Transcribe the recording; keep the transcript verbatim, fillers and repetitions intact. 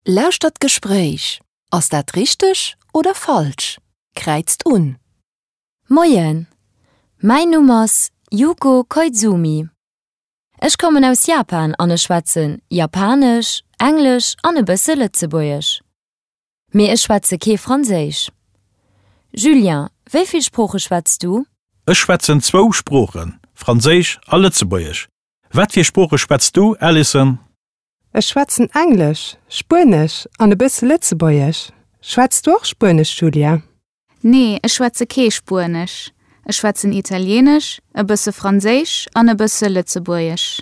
Lauschtert d'Gespréich. Ass dat richteg oder falsch? Kräizt un. Moien, mäin Numm ass Yuko Koizumi. Ech kommen aus Japan an ech schwätzen Japanesch, Englesch an e bësse Lëtzebuergesch. Mee ech schwätze kee Franséisch. Julien, wéi vill Sprooche schwätz du? Ech schwätzen zwou Sproochen, Franséisch a Lëtzebuergesch. Wat fir Sprooche schwätz du, Alison? Ech schwätzen Englesch, Spuenesch an e bësse Lëtzebuergesch. Schwätz du och Spuenesch, Julia? Nee, ech schwätze kee Spuenesch. Ech schwätzen Italieenesch, e bësse Franséisch an e bësse Lëtzebuergesch.